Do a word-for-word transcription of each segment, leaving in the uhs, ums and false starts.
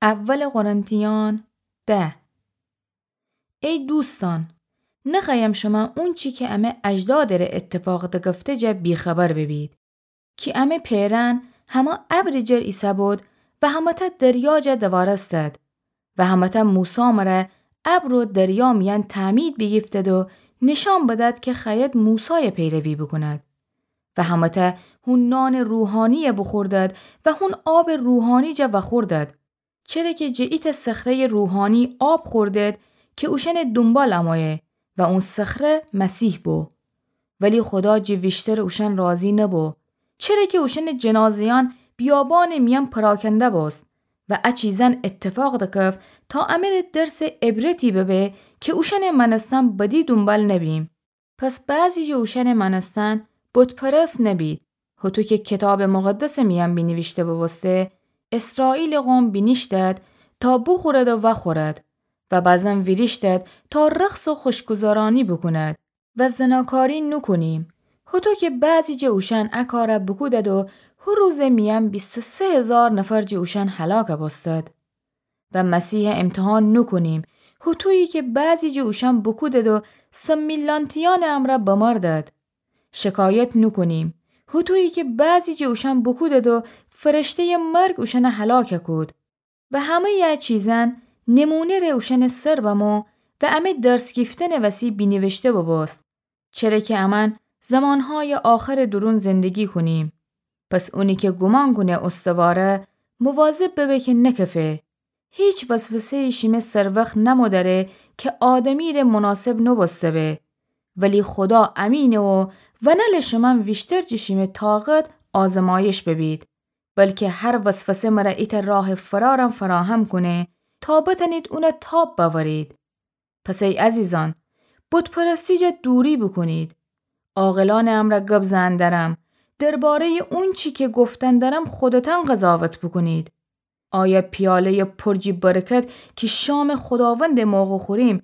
اول قرنتیان ده. ای دوستان، نخوأیم شمه اونچی که امه اجدادٚ ره اتفاق دکفته جا بی‌خبر ببید. کی امه پئرأن همه ابرٚ جر ایسه‌بود و همه‌تأ دریا جا دوارستد و همه‌تأ موسی مره ابر و دریا میأن تعمید بیگیفتد و نیشأن بدد که خوأید موسای پیروی بوکوند. و همه‌تأ هون نانٚ روحانیی بوخوردد و هون آبٚ روحانی جا وأخوردد. چره که جٚه ایتأ صخره‌یٚ روحانی آب خوردد که اوشأنٚ دونبال امویه و اون صخره مسیح بو. ولی خودا جٚه ویشتر اوشأن راضی نبو، چره که اوشأنٚ جنازه‌یأن بیابانٚ میأن پراکنده بوست و ا چیزأن اتفاق دکفت تا امه ره درسٚ عبرتی ببه که اوشأنٚ مأنستن بدی دونبال نبیم. پس بعضی جٚه اوشأنٚ مأنستن بت‌پرست نبید، هوطو که کیتابٚ مقدسٚ میأن بینیویشته بوبوسته: اسرائیلٚ قوم بینیشتد تا بوخورد و وأخورد و بزن ویریشتد تا رقص و خوشگذرأنی بوکوند و زناکاری نوکونیم. هوطو که بعضی جٚه اوشأن ا کار بوکودد و هو روزٚ میأن بیست و سه هیزار نفر جٚه اوشأن هلاک بوستد. و مسیح امتحان نوکونیم، هوطویی که بعضی جٚه اوشأن بوکودد و سمیلانتیأنٚ امرأ بمردد. شکایت نوکونیم، هوطویی که بعضی جٚه اوشأن بوکودد و فرشته‌یٚ مرگ اوشأن هلاک کود. و همه‌یٚ ا چیزأن نمونه ره اوشأنٚ سر بمو و امه درس گیفتنٚ وسی بینیویشته بوبوست. چره که امأن زمانهایٚ آخرٚ دورون زندگی کونیم. پس اونی که گومان کونه اوستواره، مواظب ببه که نکفه. هیچ وسوسه‌یی شیمه سروخت نمودره که آدمی ره مناسب نوبوسته به. ولی خودا امینه و ونله شمأن ویشتر جٚه شیمه طاقت آزمایش ببید، بلکه هر وسوسه مره ایتأ راهٚ فرارم فراهم کونه تا بتأنید اون تاب بأورید. پس ای عزیزأن، بت‌پرستی جا دوری بوکونید. عاقلأنٚ امرأ گب زئن درم، درباره‌یٚ اونچی که گفتن درم خودتأن قضاوت بوکونید. آیا پیاله‌یٚ پر جٚه برکت که شامٚ خوداوندٚ موقع خوریم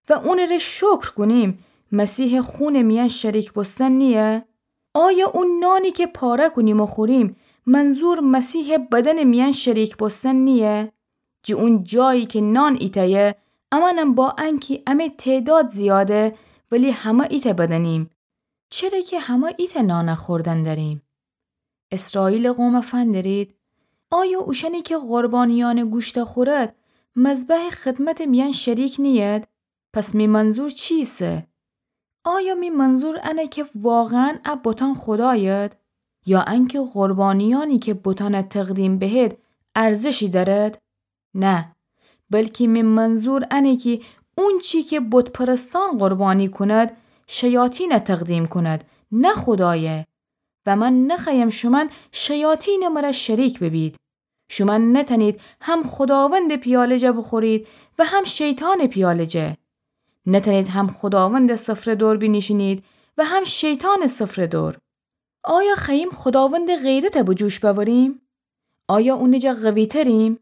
و اونٚ ره شکر کونیم، مسیحٚ خونٚ میأن شریک بوستن نییه؟ آیا او نانی که پاره کونیم و خوریم، منظور مسیحٚ بدنٚ میأن شریک بوستن نییه؟ جٚه اون جایی که نان ایتأیه، امأنم با انکی امه تعداد زیاده، ولی همه ایتأ بدنیم. چره که همه ایتأ نان خوردن دریم. اسرائیلٚ قوم فندرید، آیا اوشأنی که قربانیأنٚ گوشت خورد، مذبحٚ خدمتٚ میأن شریک نیید؟ پس می منظور چیسه؟ آیا می منظور انه که واقعاً ا بتأن خوداید؟ یا انکه قربانیأنی که بتأن تقدیم بهید ارزشی دأرد؟ نه، بلکی می منظور انه کی اونچی که بت‌پرستأن قربانی کند، شیاطین تقدیم کند، نه خودای. و من نخوأیم شومأن شیاطینٚ مره شریک ببید. شومأن نتأنید هم خوداوندٚ پیاله جا بوخورید و هم شیطانٚ پیاله جا. نتأنید هم خوداوندٚ سفره دور بینیشینید و هم شیطانٚ سفره دور. آیا خوأییم خوداوندٚ غیرت به جوش بأوریم؟ آیا اونٚ جا قوی‌تریم؟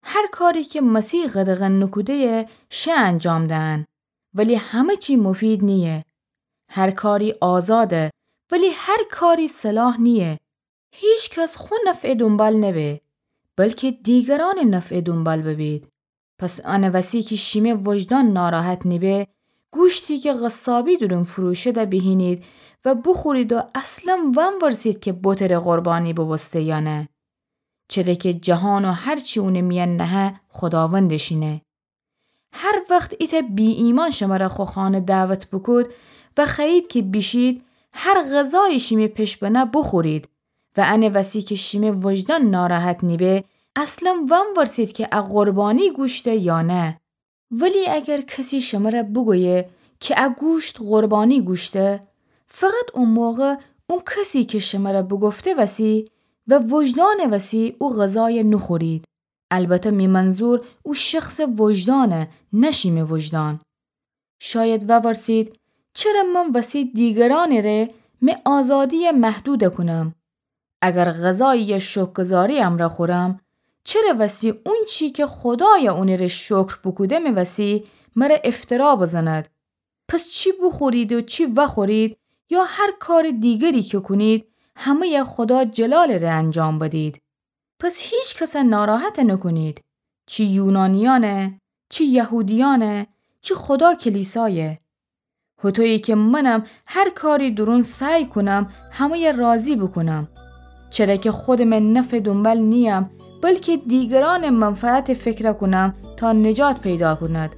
هر کاری که مسیح قدغن نوکوده‌یه شه انجام دهن، ولی همه چی مفید نییه. هر کاری آزاده، ولی هر کاری صلاح نییه. هیکس خو نفعٚ دونبال نبه، بلکه دیگرأنٚ نفعٚ دونبال ببید. پس انٚ وسی که شیمه وجدان ناراحت نیبه، گوشتی که قصابی دورون فروشده بیهینید و بوخورید و اصلاً وأنورسید که بتٚ ره قربانی بوبوسته یا نه. چره که جهان و هر چی اونٚ میأن نهه، خوداوندٚ شینه. هر وخت ایتأ بی‌ایمأن شمره خو خانه دعوت بوکود و خوأیید که بیشید، هر غذایی شیمه پش بنه بوخورید و انٚ وسی که شیمه وجدان ناراحت نیبه، اصلاً وأنورسید که ا قربانی گوشته یا نه. ولی اگر کسی شمره بوگویه که ا گوشت قربانی گوشته، فقط او موقع او کسی که شمره بوگفته وسی و وجدانٚ وسی او غذای نوخورید. البته می منظور او شخصٚ وجدانه، نه شیمه وجدان. شاید وورسید، چره من وسی دیگرأنٚ ره می آزادی محدود کونم؟ اگر غذایی شکرگزاری امرأ خورم، چره وسی اونچی که خودای اونٚ ره شکر بوکودمٚ وسی مره افترا بزند؟ پس چی بوخورید و چی وخورید یا هر کارٚ دیگری که کونید، همه‌ی خودا جلالٚ ره انجام بدید. پس هیکس ناراحت نوکونید. چی یونانیأنه، چی یهودیأنه، چی خدا کلیسایه. هوطویی کی منم هر کاری دورون سعی کونم همه‌یه راضی بوکونم. چره کی خودمه نفع دونبال نییم، بلکی دیگرأنه منفعت فکر کونم تا نجات پیدا کونم.